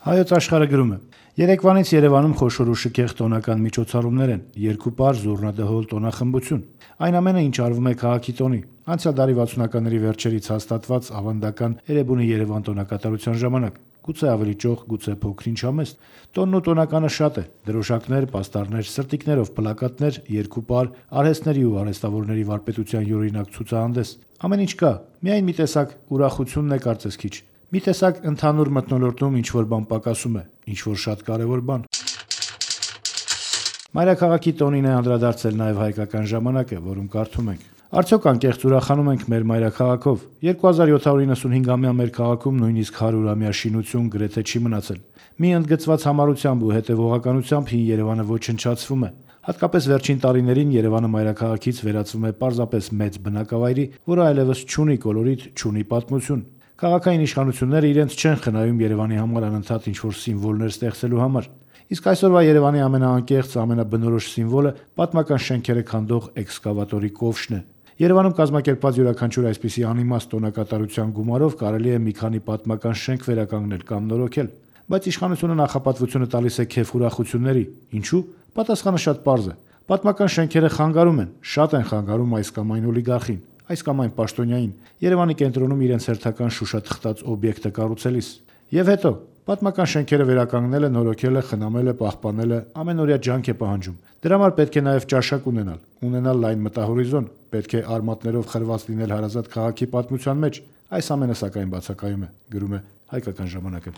Հայոց աշխարհը գրում է. Երեկվանից Երևանում խոշոր ու շքեղ տոնական միջոցառումներ են, երկու պար զուռնա-դհոլ տոնախմբություն։ Այն ամենը, ինչ արվում է քաղաքի տոնի։ Անցյալ դարի 60-ականների վերջերից հաստատված ավանդական Էրեբունի Երևան տոնակատարության ժամանակ։ Գուցե ավելի ճոխ, գուցե փոքր-ինչ համեստ։ Տոնն ու տոնականը շատ է։ Դրոշակներ, պաստառներ, սրտիկներով պլակատներ, երկու պար, արհեստների ու արհեստավորների վարպետության յուրօրինակ ցուցահանդես։ Ամեն ինչ կա։ Միայն մի տեսակ ուրախությունն է կարծես քիչ։ Մի տեսակ ընդհանուր մթնոլորտում ինչ-որ բան պակասում է, ինչ-որ շատ կարևոր բան։ Մայրաքաղաքի տոնին է անդրադարձել նաև Հայկական ժամանակը, որում կարդում ենք. Արդյոք անկեղծ ուրախանում ենք մեր մայրաքաղաքով։ 2795-ամյա մեր քաղաքում նույնիսկ 100-ամյա շինություն գրեթե չի մնացել։ Մի ընդգծված համառությամբ ու հետևողականությամբ հին Երևանը ոչնչացվում է։ Հատկապես վերջին տարիներին Երևանը մայրաքաղաքից վերածվում է պարզապես մեծ բնակավայրի, որը այլևս չունի կոլորիտ, չունի պատմություն։ Քաղաքային իշխանությունները իրենց չեն խնայում Երևանի համար անընդհատ ինչ-որ սիմվոլներ ստեղծելու համար։ Իսկ այսօրվա Երևանի ամենաանկեղծ, ամենաբնորոշ սիմվոլը պատմական շենքերը քանդող էքսկավատորի կովշն է։ Երևանում կազմակերպված յուրաքանչյուր այսպիսի անիմաստ տոնակատարության գումարով կարելի է մի քանի պատմական շենք վերականգնել կամ նորոգել։ Բայց իշխանությունը նախապատվությունը տալիս է քեֆ ուրախությունների։ Ինչու՞։ Պատասխանը շատ պարզ է։ Պատմական շենքերը խանգարում են, շատ են խանգարում այս կամ այն օլիգարխին, այս կամ այն պաշտոնյային, Երևանի կենտրոնում իրենց հերթական շուշաթխտած օբյեկտը կառուցելիս։ Եվ հետո, պատմական շենքերը վերականգնելը, նորոգելը, խնամելը, պահպանելը ամենօրյա ջանք է պահանջում։ Դրա համար պետք է նաև ճաշակ ունենալ լայն մտահորիզոն, պետք է արմատներով խրված լինել հարազատ քաղաքի պատմության մեջ։ Այս ամենը սակայն բացակայում է, գրում է Հայկական ժամանակը։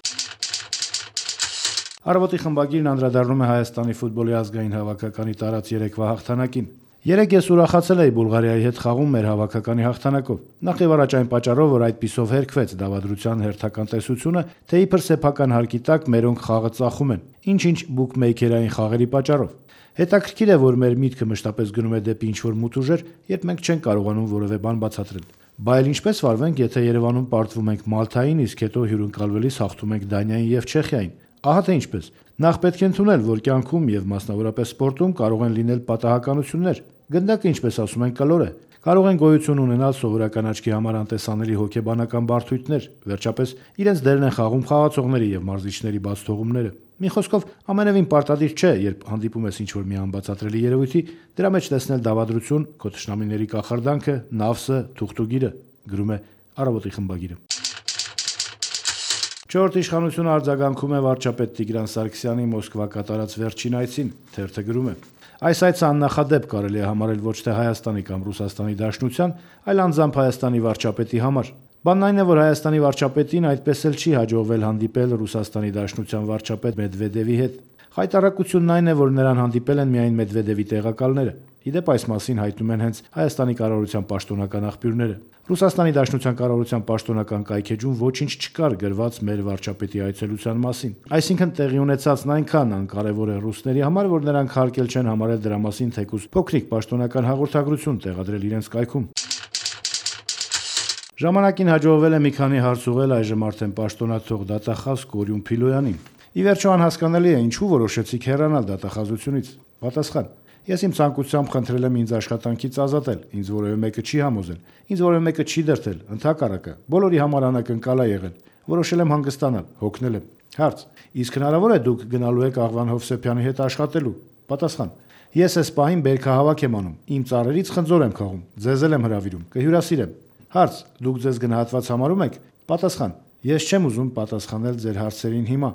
Առավոտի խմբագիրն անդրադառնում է Հայաստանի ֆուտբոլի ազգային հավաքականի տարած երեկվա հաղթանակին։ Երեկ ես ուրախացել էի Բուլղարիայի հետ խաղում մեր հավաքականի հաղթանակով։ Նախ եւ առաջ այն պատճառով, որ այդպիսով հերքվեց դավադրության հերթական տեսությունը, թե իբր սեփական հարկի տակ մերոնք խաղը ծախում են, ինչ-ինչ բուկմեյքերային խաղերի պատճառով։ Հետաքրքիր է, որ մեր միտքը մշտապես գնում է դեպի ինչ-որ մութ ուժեր, երբ մենք չենք կարողանում որևէ բան բացատրել։ Բա այլ ինչպես վարվենք, եթե Երևանում պարտվում ենք Մալթային, իսկ հետո հյուրընկալվելիս հաղթում ենք Դանիային եւ Չեխիային։ Ահա թե ինչպես։ Նախ պետք է ընդունել, որ կյանքում եւ մասնավորապես սպորտում կարող են լինել պատահականություններ։ Գնդակը, ինչպես ասում են, կլոր է։ Կարող են գոյություն ունենալ սովորական աչքի համար անտեսանելի հոգեբանական բարդույթներ։ Վերջապես իրենց դերն են խաղում խաղացողների եւ մարզիչների բաց թողումները։ Մի խոսքով, ամենևին պարտադիր չէ, երբ հանդիպում ես ինչ-որ մի անբացատրելի երևույթի, դրա մեջ տեսնել դավադրություն, քո թշնամիների կախարդանքը, նավսը, թուղթուգիրը, գրում է Առավոտի խմբագիրը։ Չորրորդ իշխանությունը արձագանքում է վարչապետ Տիգրան Սարգսյանի Մոսկվա կատարած վերջին այցին, թերթը գրում է. Այս այցը աննախադեպ կարելի է համարել ոչ թե Հայաստանի կամ Ռուսաստանի Դաշնության, այլ անձամբ Հայաստանի վարչապետի համար։ Բանն այն է, որ Հայաստանի վարչապետին այդպես էլ չի հաջողվել հանդիպել Ռուսաստանի Դաշնության վարչապետ Մեդվեդևի հետ։ Խայտառակությունն այն է, որ նրան հանդիպել են միայն Մեդվեդևի տեղակալները։ Իդեպ այս մասին հայտնում են հենց Հայաստանի կառավարության պաշտոնական աղբյուրները։ Ռուսաստանի Դաշնության կառավարության պաշտոնական կայքեջում ոչինչ չկար գրված մեր վարչապետի այցելության մասին։ Այսինքն տեղի ունեցածն այնքան անկարևոր է ռուսների համար, որ նրանք հարկել չեն համարել դրա մասին թեկուզ փոքրիկ պաշտոնական հաղորդագրություն տեղադրել իրենց կայքում։ Ժամանակին հաջողվել է մի քանի հարց ուղղել այժմ արդեն պաշտոնաթող դատախազ Կորյուն Փիլոյանին։ Ի վերջո անհասկանալի է ինչու որոշեցիք հեռանալ դատախազությունից։ Պատասխան. Ես իմ ցանկությամբ խնդրել եմ ինձ աշխատանքից ազատել, ինձ որևէ մեկը չի համոզել, ինձ որևէ մեկը չի դրդել, ընդհակառակը, բոլորի համար անակնկալ է եղել։ Որոշել եմ հանգստանալ, հոգնել եմ։ Հարց. իսկ հնարավոր է դուք գնալու եք Աղվան Հովսեփյանի հետ աշխատելու։ Պատասխան. ես այս պահին բերքահավաք եմ անում, իմ ծառերից խնձոր եմ քաղում, ձեզ էլ եմ հրավիրում, կհյուրասիրեմ։ Հարց. դուք ձեզ գնահատված համարում եք։ Պատասխան. ես չեմ ուզում պատասխանել ձեր հարցերին հիմա,